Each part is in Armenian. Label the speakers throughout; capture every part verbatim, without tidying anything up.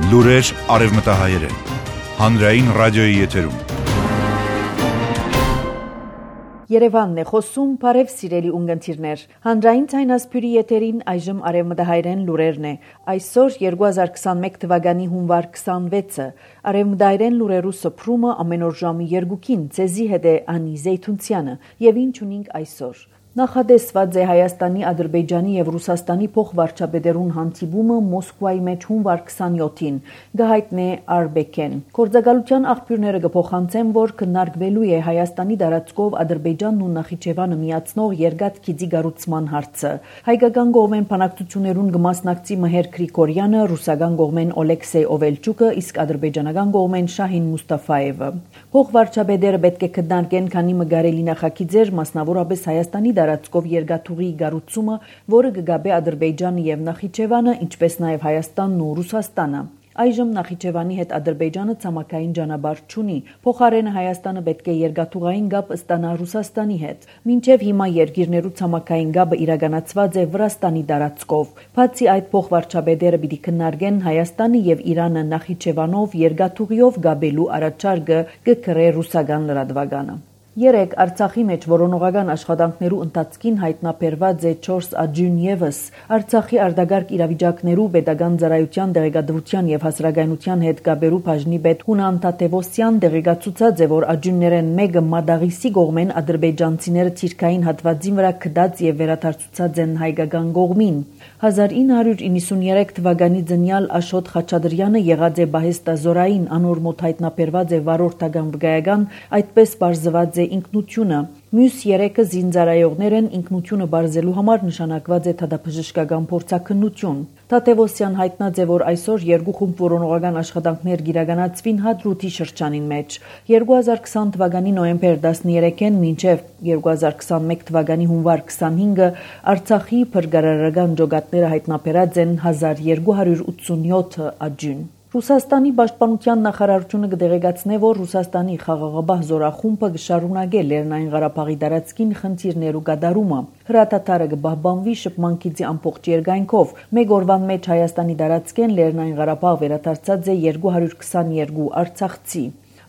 Speaker 1: Լուրեր արևմտահայերեն։ Հանրային ռադիոյի եթերում։
Speaker 2: Երևանն է խոսում, բարև սիրելի ունգընթիրներ։ Հանրային ցայնասփյուրի եթերին այժմ արևմտահայերեն լուրերն է։ Այսօր երկու հազար քսանմեկ թվականի հունվար քսանվեցը։ Արևմտահայերեն լուրերու սփռումը ամեն օր ժամի երկուքին ցեզի հետ է Անի Զեյթունցյանը։ Եվ ինչ ունենք այսօր։ Նախադեсված է Հայաստանի, Ադրբեջանի եւ Ռուսաստանի փոխվարչապետերուն հանդիպումը Մոսկվայի մեջ հունվար քսանյոթին, գահիտնե Արբեկեն։ Գործակալության աղբյուրները կփոխանցեն, որ քննարկվելու է Հայաստանի դարածքով Ադրբեջանն ու Նախիջևանը միացնող երկաթ գիծի կառուցման հարցը։ Հայկական կողմեն բանակցություններուն կմասնակցի Մհեր Գրիգորյանը, ռուսական կողմեն Օլեքսեյ Օվելչուկը, իսկ ադրբեջանական կողմեն Շահին Մուստաֆաևը։ Փոխվարչապետերը պետք է քննարկեն քանի մգարելի նախագիծեր, մասնավորապես Հայաստանի դարածքով երկաթուղի կառուցումը, որը կգաբե Ադրբեջանը եւ Նախիջևանը, ինչպես նաեւ Հայաստանն ու Ռուսաստանը։ Այժմ Նախիջևանի հետ Ադրբեջանը ցամաքային ճանապարհ չունի, փոխարենը Հայաստանը պետք է երկաթուղային գապ ստանա Ռուսաստանի հետ։ Մինչև հիմա երկիրներու ցամաքային գապը իրականացված է Վրաստանի դարածքով։ Բացի այդ, փոխվարչապետերը պիտի քննարկեն Հայաստանը եւ Իրանը Նախիջևանով երկաթուղիով գաբելու առաջարկը, կգրե ռուսական լրատվականը։ Երեք Արցախի մեջ որոնողական աշխատանքներու ընթացքին հայտնաբերված է չորս աջուն եւս։ Արցախի արտագարկ իրավիճակներու պետական ծառայության դեղեկատվության եւ հասարակայնության հետ գաբերու բաժնի պետ Հունան Թաթևոսյան դեղեկացուցած է, որ աջուններեն մեկը Մադաղիսի կողմեն ադրբեջանցիները թիրքային հատվածին վրա կդած եւ վերադարձուցած են հայկական կողմին։ հազար ինը հարյուր իննսուներեք թվականի ծնյալ Աշոտ Խաչատրյանը եղած է Բահեստազորային անոր մոտ հայտնաբերված է վարորդական վկայական, այդպես բարձված է ինքնությունը։ Մյուս երեքը զինծառայողներ են, ինքնությունը բարձելու համար նշանակված է թադափժշկական փորձաքննություն։ Թաթևոսյան հայտնած է, որ այսօր երկու խումբ որոնողական աշխատանքներ կիրականացվին Հադրութի շրջանին մեջ։ երկու հազար քսան թվականի նոյեմբեր տասներեքին մինչև երկու հազար քսանմեկ թվականի հունվար քսանհինգը Արցախի փրկարարական ջոկատները հայտնաբերած են հազար երկու հարյուր ութսունյոթ աջուն։ Ռուսաստանի պաշտպանության նախարարությունը կդեղեկացնե, որ Ռուսաստանի խաղաղապահ զորախումբը կշարունակե Լեռնային Ղարաբաղի տարածքին խնդիրներու կատարումը։ Հրատատարը կպահպանվի շփման գիծի ամբողջ երկայնքով։ Մեկ օրվան մեջ Հայաստանի տարածքեն Լեռնային Ղարաբաղ վերադարձած է երկու հարյուր քսաներկու արցախցի։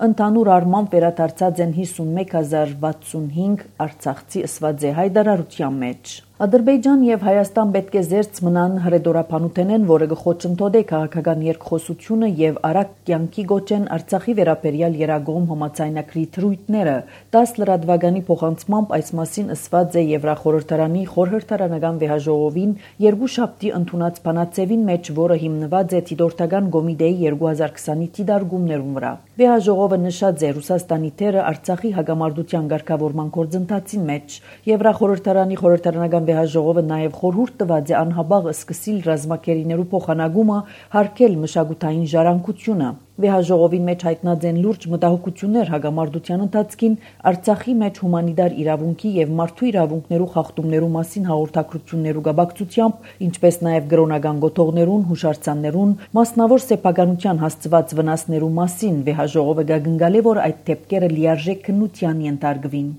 Speaker 2: Ընդհանուր առմամբ վերադարձած են հիսունմեկ հազար վաթսունհինգ արցախցի ըսված է հայտարարության մեջ։ Ադրբեջան եւ Հայաստան պետք է զերծ մնան հրեդորապանութենեն, որը կխոչընդոտե քաղաքական երկխոսությունը եւ արագ կյանքի գոչեն Արցախի վերաբերյալ երագողմ համաձայնագրի թրույթները։ դաս լրատվականի փոխանցմամբ այս մասին ըսված է Եվրախորհրդարանի խորհրդարանական վեհաժողովին երկուշաբթի ընդունած բանաձևին մեջ, որը հիմնված է Դիտորդական կոմիտեի երկու հազար քսանի դիտարկումներուն վրա։ Վեհաժողովը նշած է Ռուսաստանի թերը Արցախի հակամարտության ղեկավարման գործընթացին մեջ։ Եվրախորհրդարանի խորհրդարանական Վեհաժողովը նաև խորհուրդ տված է անհաբաղ սկսիլ ռազմակերիներու փոխանակումը, հարգել մշակութային ժառանգությունը։ Վեհաժողովին մեջ հայտնած են լուրջ մտահոգություններ հակամարտության ընթացքին Արցախի մեջ հումանիտար իրավունքի եւ մարդու իրավունքներու խախտումներու մասին հաղորդակցություններու գաբակցությամբ, ինչպես նաև գրոնական գոթողներուն, հուշարձաններուն, մասնավոր սեփականության հասցված վնասներու մասին վեհաժողովը գագնգալե, որ այդ դեպքերը լիարժեք քննության ենթարկվին։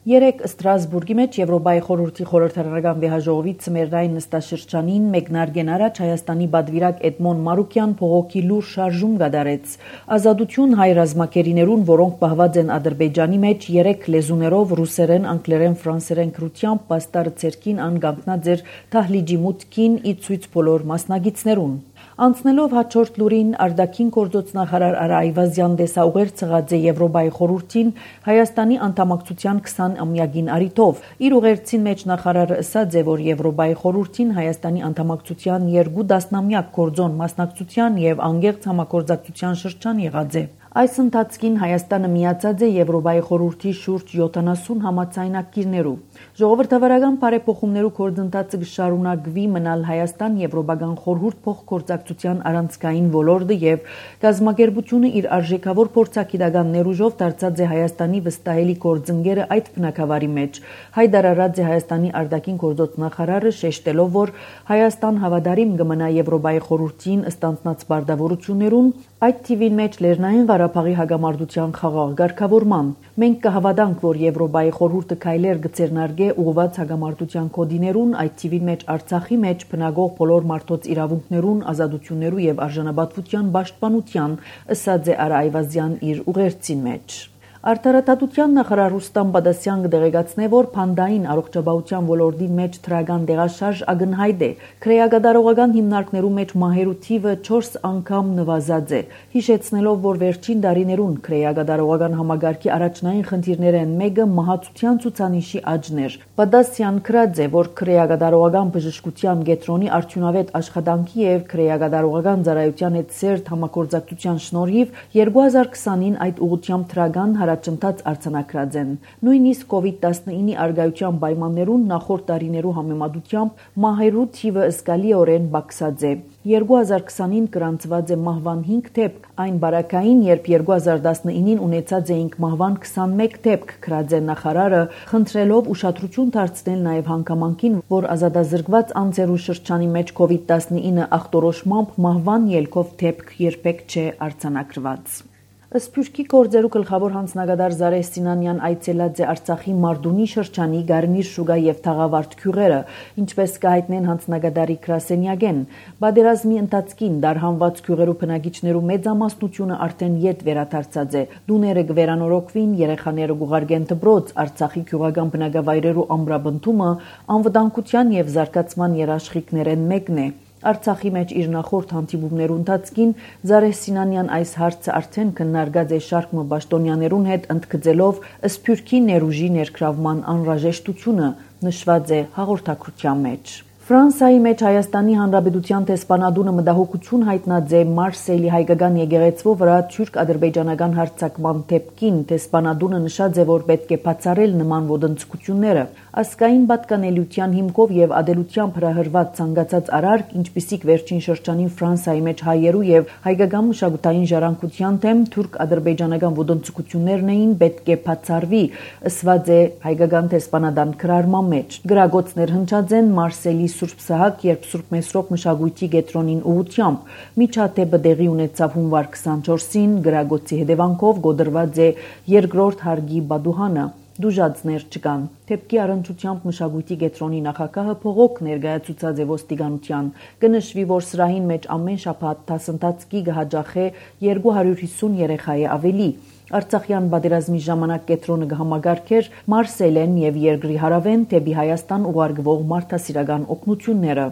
Speaker 2: Երեք Ստրասբուրգի մեջ Եվրոպայի խորհրդի խորհրդարանական վեհաժողովի ցմերային նստաշրջանին մեկնարկեն առաջ Հայաստանի պատվիրակ Էդմոն Մարուկյան փողոքի լուր շարժում կատարեց։ Ազատություն հայ ռազմակերիներուն, որոնք պահված են Ադրբեջանի մեջ երեք լեզուներով ռուսերեն, անգլերեն, ֆրանսերեն քրությամբ պաստարը ցերքին անգանքնած էր Թահլիջի մուտքին ի ցույց բոլոր մասնագետներուն։ Անցնելով հաջորդ լուրին արտաքին գործոց նախարար Արա Այվազյան դեսաուղեր ցղած է Եվրոպայի խորհրդին Հայաստանի անդամակցության քսան ամյակին արիթով։ Իր ուղերձին մեջ նախարարը ասաց է, որ Եվրոպայի խորհրդին Հայաստանի անդամակցության երկու տասնամյակ գործոն մասնակցության եւ անգերց համագործակցության շրջան եղած է։ Այս ընթացքին Հայաստանը միացած է Եվրոպայի խորհրդի շուրջ յոթանասուն համաձայնագիրներու։ Ժողովրդավարական բարեփոխումներու գործընթացը կշարունակվի մնալ Հայաստան Եվրոպական խորհուրդ փոխգործակցության առանցքային ոլորտը եւ գազམ་ակերպությունը իր արժեքավոր փորձագիտական ներուժով դարձած է Հայաստանի վստահելի գործընկերը այդ բնակավարի մեջ։ Հայտարարած է Հայաստանի արտաքին գործոց նախարարը շեշտելով, որ Հայաստան հավատարիմ կմնա Եվրոպայի խորհրդին ստանձնած բարդավորություններուն, այդ թիվին մեջ Լեռնային Ղարաբաղի հագամարտության խաղաղ ղեկավարման։ Մենք կհավատանք, որ Եվրոպայի խորհուրդը քայլեր կձեռնարկե ուղղված հագամարտության կոդիներուն, այդ թիվին մեջ Արցախի մեջ բնակող բոլոր մարդոց իրավունքներուն, ազատություններու եւ արժանապատվության պաշտպանության, ըսած է Արա Այվազյան իր ուղերձին մեջ։ Արտարադատության նախարար Ռուստամ Բադասյան կդեղեկացնե, որ փանդային առողջապահության ոլորտի մեջ թրական դեղաշարժ ակնհայտ է։ Քրեագադարողական հիմնարկներու մեջ մահերու թիվը չորս անգամ նվազած է, հիշեցնելով, որ վերջին տարիներուն քրեագադարողական համագարքի առաջնային խնդիրներեն մեկը մահացության ցուցանիշի աճն էր։ Բադասյան քրած է, որ քրեագադարողական բժշկության կենտրոնի արդյունավետ աշխատանքի եւ քրեագադարողական ծառայության հետ սերտ համագործակցության շնորհիվ երկու հազար քսանին այդ ուղղությամբ թրական հարաճընթաց արձանագրած են։ Նույնիսկ կովիդ տասնինի արգայության պայմաններուն նախորդ տարիներու համեմատությամբ մահերու թիվը զգալիորեն բարձած է։ երկու հազար քսանին գրանցված է մահվան հինգ դեպք, այն բարակային, երբ երկու հազար տասնինին ունեցած էինք մահվան քսանմեկ դեպք, քրած է նախարարը, խնդրելով ուշադրություն դարձնել նաև հանգամանքին, որ ազատազրկված անձերու շրջանի մեջ կովիդ տասնինը ախտորոշմամբ մահվան ելքով դեպք երբեք չէ արձանագրված։ Սփյուռքի գործերու գլխավոր հանձնագետար Զարեհ Սինանյան այցելած է Արցախի Մարդունի շրջանի Գարմիր շուգա եւ Թաղավարտ գյուղերը, ինչպես կհայտնեն հանձնագետարի գրասենյակեն։ Բادرազմի ընթացքին դարհանված գյուղերու բնակիչներու մեծամասնությունը արդեն յետ վերադարձած է։ Դուները կվերանորոգվին, երեխաները կուղարկեն դպրոց, Արցախի գյուղական բնակավայրերու ամրապնդումը անվտանգության եւ զարգացման երաշխիքներեն մեկն է։ Արցախի մեջ իր նախորդ հանդիպումներու ընթացքին Զարեհ Սինանյան այս հարցը արդեն քննարկած է շարք մբաշտոնյաներուն հետ, ընդգծելով Սփյուռքի ներուժի ներգրավման անհրաժեշտությունը, նշված է հաղորդակցության մեջ։ Ֆրանսիայի մեջ Հայաստանի Հանրապետության տեսփանադունը մտահոգություն հայտնած է Մարսելի հայկական եկեղեցու վրա թուրք-ադրբեջանական հարձակման դեպքին։ Տեսփանադունը նշած է, որ պետք է բացառել նման ոտնձգությունները։ Ասկային պատկանելիության հիմքով եւ ադելությամբ հրահրված ցանկացած արարք, ինչպիսիք վերջին շրջանին Ֆրանսիայի մեջ հայերու եւ հայկական մշակութային ժառանգության թեմ թուրք-ադրբեջանական ոտնձգություններն էին, պետք է բացառվի, ըսված է հայկական տեսփանադան գրառման մեջ։ Գրագոցներ հնչած են Մարսելի Սուրբ Սահակ երբ Սուրբ Մեսրոպ մշակույթի կենտրոնին ուղղությամբ։ Միջադեպը տեղի ունեցավ հունվար քսանչորսին, գրագոցի հետևանքով գոդրված է երկրորդ հարգի բադուհանը։ Դուժածներ չկան։ Թեպքի առընչությամբ մշակույթի կենտրոնի նախագահը փողոք ներկայացուցած է ոստիկանության։ Կնշվի, որ սրահին մեջ ամեն շաբաթ դասընթացքի կհաջախե երկու հարյուր հիսուն երեխա է ավելի։ Արցախյան պատերազմի ժամանակ կենտրոնը կհամագարկեր Մարսելեն եւ երկրի հարավեն դեպի Հայաստան ուղարկվող մարդասիրական օգնությունները։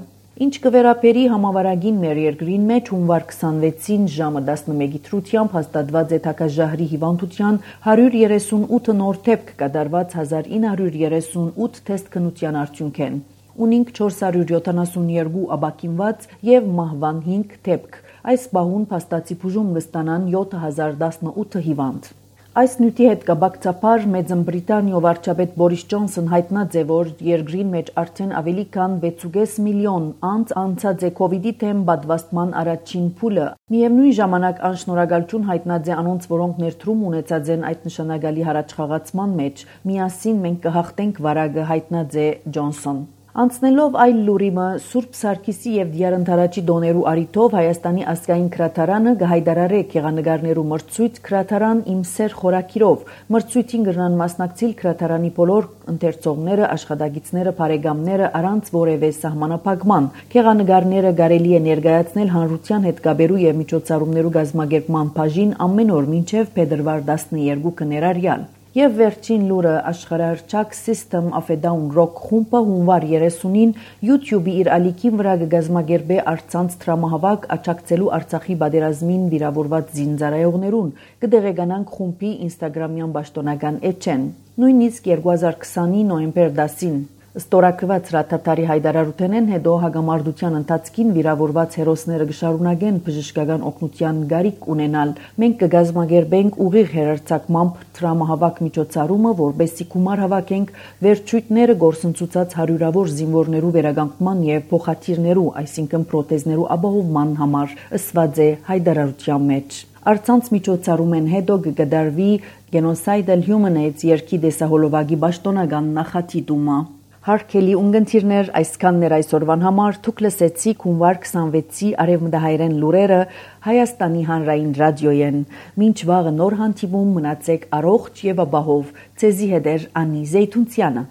Speaker 2: Ինչ կվերապերի համավարագին մեր երկրին մեջ հունվար քսանվեցին ժամը տասնմեկի թրությամբ հաստատված է թակաժահրի հիվանդության հարյուր երեսունութ նոր դեպք կատարված հազար ինը հարյուր երեսունութ թեստ քննության արդյունքեն։ Ունինք չորս հարյուր յոթանասունյոթ աբակինված եւ մահվան հինգ դեպք։ Այս բահուն փաստացի բուժում կստանան յոթ հազար տասնութ հիվանդ։ Այս նյութի հետ կապակցաբար Մեծն Բրիտանիա վարչապետ Բորիս Ջոնսոն հայտնած է, որ երկրին մեջ արդեն ավելի քան վեցուկես միլիոն անց անցած է կովիդի թեմ պատվաստման առաջին փուլը։ Միևնույն ժամանակ անշնորհակալություն հայտնած է անոնց, որոնք ներդրում ունեցած են այդ նշանակալի հարաճխաղացման մեջ։ Միասին մենք կհաղթենք վարակը, հայտնած է Ջոնսոն։ Անցնելով այլ լուրիմը Սուրբ Սարգիսի եւ Դիարընթարաճի դոներու արիթով Հայաստանի ազգային քրատարանը կհայտարարե գեղանկարներու մրցույթ քրատարան իմ սեր խորակիրով։ Մրցույթին կրնան մասնակցել քրատարանի բոլոր ընթերցողները, աշխատակիցները, բարեկամները առանց որևէ սահմանափակման։ Գեղանկարները կարելի է ներկայացնել հանրության հետ կապերու եւ միջոցառումներու կազմակերպման բաժին ամեն օր մինչեւ փետրվար տասնյոթ ներառյալ։ Եվ վերջին լուրը աշխարհահռչակ System of a Down Rock խումբը հունվար երեսունին YouTube-ի իր ալիքին վրա կգազմագերբե արցանց տրամահավաք աջակցելու Արցախի պատերազմին վիրավորված զինծառայողներուն։ Կդեղեկանանք խումբի Instagram-յան պաշտոնական էջեն։ Նույնիսկ երկու հազար քսանի նոյեմբեր դասին Ստորակված հրաթաթարի հայտարարութենեն հետո հագամարտության ընթացքին վիրավորված հերոսները կշարունակեն բժշկական օգնության գարիք ունենալ։ Մենք կգազմագերբենք ուղիղ հերարցակմամբ տրամահավաք միջոցառումը, որբեսի գումար հավաքենք վերջույթները գործընծուցած հարյուրավոր զինվորներու վերականգնման եւ փոխաթիրներու, այսինքն պրոթեզներու ապահովման համար, ըսված է հայտարարության մեջ։ Արցանց միջոցառումեն հետո կգդարվի Genocidal Human Aids երկի դեսահոլովակի պաշտոնական նախատիտումը։ Հարգելի ունգընտիրներ, այսքանն էր այսօրվան համար, դուք լսեցիք հունվար քսանվեցի արևմտահայերեն լուրերը Հայաստանի հանրային ռադիոյեն։ Մինչ վաղը նոր հանդիպում, մնացեք առողջ եւ ապահով։ Ձեզի հետ էր Անի Զեյթունցյանը։